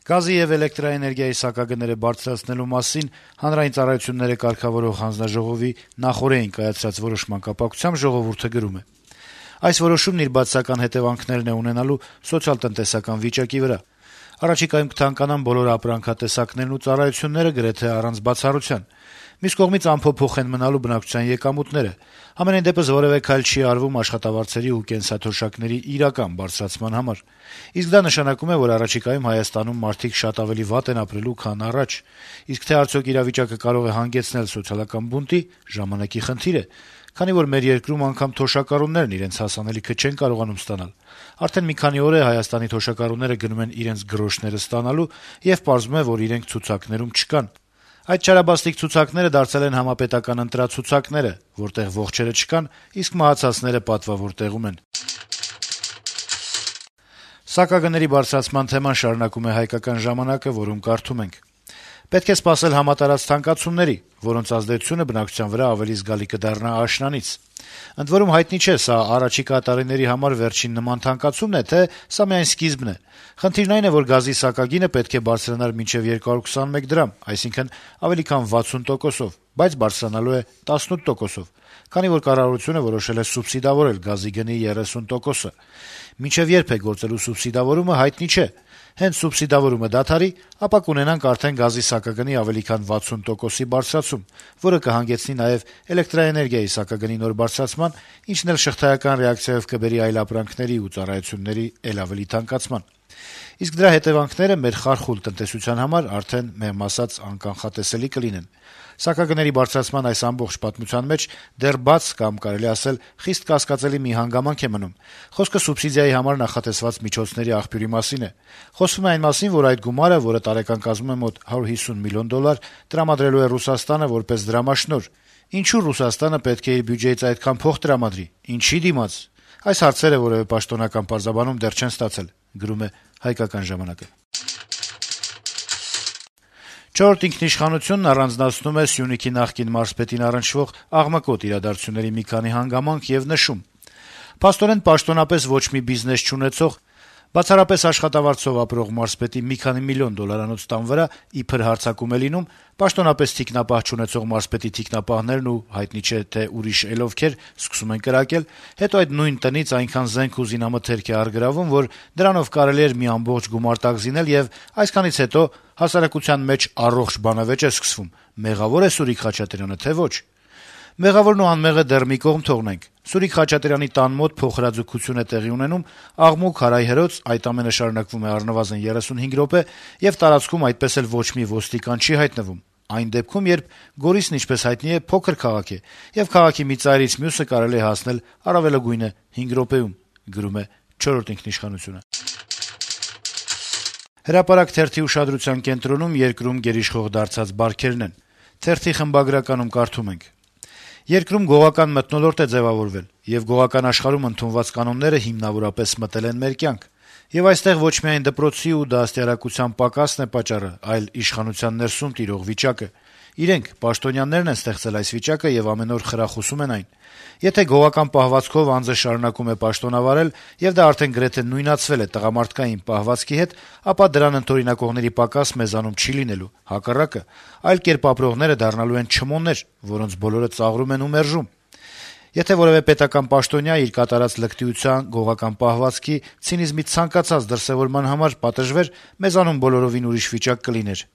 Գազի եւ էլեկտրաէներգիայի սակագները բարձրացնելու մասին Հանրային ծառայությունները կարգավորող հանձնաժողովի նախօրեին կայացրած որոշման կապակցությամբ «Ժողովուրդ»-ը գրում է. - «Այս որոշումն իր բացասական հետեւանքներն է ունենալու սոցիալ-տնտեսական վիճակի վրա: Առաջիկայում կթանկանան բոլոր ապրանքատեսակներն ու ծառայությունները գրեթե առանց բացառության: Մյուս կողմից անփոփոխ են մնալու բնակչության եկամուտները: Համենայն դեպս որեւէ քայլ չի արվում աշխատավարձերի ու կենսաթոշակների իրական բարձրացման համար: Իսկ դա նշանակում է, որ առաջիկայում Հայաստանում մարդիկ շատ ավելի վատ են ապրելու, քան առաջ: Իսկ թե արդյոք իրավիճակը կարող է հանգեցնել սոցիալական բունտի՝ ժամանակի խնդիր է, քանի որ մեր երկրում անգամ թոշակառուներն իրենց հասանելիքը չեն կարողանում ստանալ: Արդեն մի քանի օր է Հայաստանի թոշակառուները գնում են իրենց գրոշները ստանալու եւ պարզվում է, որ իրենք ցուցակներում չկան: Այդ չարաբաստիկ ցուցակները դարձել են համապետական ընտրացուցակները, որտեղ ողջերը չկան, իսկ մահացածները պատվավոր տեղում են»: Սակագների բարձրացման թեման շարունակում է «Հայկական ժամանակ»-ը, որում կարդում ենք. - «Պետք է սպասել համատարած թանկացումների, որոնց ազդեցությունը բնակչության վրա ավելի զգալի կդառնա աշնանից: Ընդ որում հայտնի չէ՝ սա առաջիկա տարիների համար վերջին նման թանկացումն է, թե սա միայն սկիզբն է: Խնդիրն այն է, որ գազի սակագինը պետք է բարձրանար մինչեւ 221 դրամ, այսինքն՝ ավելի քան 60%-ով, բայց բարձրանալու է 18%-ով, քանի որ կառավարությունը որոշել է սուբսիդավորել գազի գնի 30%-ը: Մինչեւ երբ է գործելու սուբսիդավորումը, հայտնի չէ: Հենց սուբսիդավորումը դադարի, ապա կունենանք արդեն գազի սակագնի ավելի քան 60%-ի բարձրացում, որը կհանգեցնի նաեւ էլեկտրաէներգիայի սակագնի նոր բարձրացման, ինչն էլ շղթայական ռեակցիայով կբերի այլ ապրանքների ու ծառայությունների էլ ավելի թանկացման: Իսկ դրա հետեւանքները մեր խարխուլ տնտեսության համար արդեն, մեղմ ասած, անկանխատեսելի կլինեն: Սակագների բարձրացման այս ամբողջ պատմության մեջ դեռ բաց կամ, կարելի է ասել, խիստ կասկածելի մի հանգամանք է մնում: Խոսքը սուբսիդիայի համար նախատեսված միջոցների աղբյուրի մասին է: Խոսվում է այն մասին, որ այդ գումարը, որը տարեկան կազմում է մոտ $150 միլիոն, տրամադրելու է Ռուսաստանը որպես դրամաշնորհ: Ինչու Ռուսաստանը պետք է իր բյուջեից այդքան փող տրամադրի, ինչի դիմաց: Այս հարցերը որեւէ պաշտոնական պարզաբանում դեռ չեն ստացել»: «Չորրորդ ինքնիշխանություն»-ն առանձնացնում է Սյունիքի նախկին մարզպետին առնչվող աղմկոտ իրադարձությունների մի քանի հանգամանք եւ նշում. - «Փաստորեն, պաշտոնապես ոչ մի բիզնես չունեցող, բացառապես աշխատավարձով ապրող մարզպետի մի քանի միլիոն դոլարանոց տան վրա իբր հարձակում է լինում, պաշտոնապես թիկնապահ չունեցող մարզպետի թիկնապահներն ու հայտնի չէ, թե ուրիշ էլ ովքեր սկսում են կրակել, հետո այդ նույն տնից այնքան զենք ու զինամթերք է առգրավում, որ դրանով կարելի էր մի ամբողջ գումարտակ զինել եւ այսքանից հետո հասարակության մեջ առողջ բանավեճ է սկսվում. մեղավո՞ր է Սուրիկ Խաչատրյանը, թե ոչ: Մեղավորն ու անմեղը դեռ մի կողմ թողնենք: Սուրիկ Խաչատրյանի տան մոտ փոխհրաձգություն է տեղի ունենում, աղմուկ-հարայհրոց, այդ ամենը շարունակվում է առնվազն 35 րոպե, եւ տարածքում այդպես էլ ոչ մի ոստիկան չի հայտնվում: Այն դեպքում, երբ Գորիսն, ինչպես հայտնի է, փոքր քաղաք է, եւ քաղաքի մի ծայրից մյուսը կարելի է հասնել առավելագույնը 5 րոպեում»: «Հրապարակ» թերթի ուշադրության կենտրոնում երկրում գերիշխող դարձած բարքերն են: Թերթի խմբագրականում կարդում ենք. - «Երկրում գողական մթնոլորտ է ձեւավորվել, եւ գողական աշխարհում ընդունված կանոնները հիմնավորապես մտել են մեր կյանք: Եվ այստեղ ոչ միայն դպրոցի ու դաստիարակության պակասն է պատճառը, այլ իշխանության ներսում տիրող վիճակը: Իրենք՝ պաշտոնյաներն են ստեղծել այս վիճակը եւ ամեն օր խրախուսում են այն: Եթե գողական պահվածքով անձը շարունակում է պաշտոնավարել, եւ դա արդեն գրեթե նույնացվել է տղամարդկային պահվածքի հետ, ապա դրան ընդօրինակողների պակաս մեզանում չի լինելու, հակառակը, այլ կերպ ապրողները դառնալու են չմոններ, որոնց բոլորը ծաղրում են ու մերժում: Եթե որեւէ պետական պաշտոնյա իր կատարած լկտիության, գողական պահվածքի, ցինիզմի ցանկացած դրսեւորման համար պատժվեր, մեզանում բոլորովին ուրիշ վիճակ կլիներ»: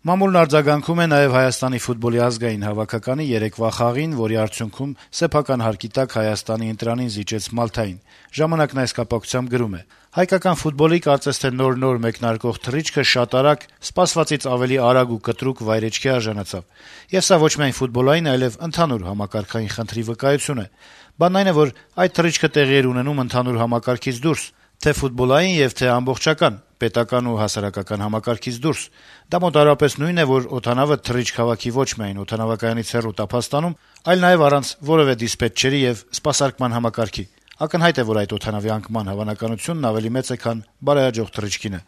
Մամուլն արձագանքում է նաեւ Հայաստանի ֆուտբոլի ազգային հավաքականի երեկվա խաղին, որի արդյունքում սեփական հարկի տակ Հայաստանի ընտրանին զիջեց Մալթային: «Ժամանակ»-ն այս կապակցությամբ գրում է. - «Հայկական ֆուտբոլի կարծես թե նոր մեկնարկող թռիչքը շատ արագ, սպասվածից ավելի արագ ու կտրուկ վայրէջքի արժանացավ: Եվ սա ոչ միայն ֆուտբոլային, այլեւ ընդհանուր համակարգային խնդրի վկայություն է: Բանն այն է, որ այդ թռիչքը տեղի էր ունենում ընդհանուր համակարգից դուրս, թե ֆուտբոլային եւ թե ամբողջական, պետական ու հասարակական համակարգից դուրս: Դա մոտավորապես նույնն է, որ օդանավը թռիչք հավաքի ոչ միայն օդանավակայանից հեռու Տափաստանում, այլ նաեւ առանց որեւէ դիսպետչերի եւ սպասարկման համակարգի: Ակնհայտ է, որ այդ օդանավի անկման հավանականությունն ավելի մեծ է, քան բարեհաջող թռիչքինը»: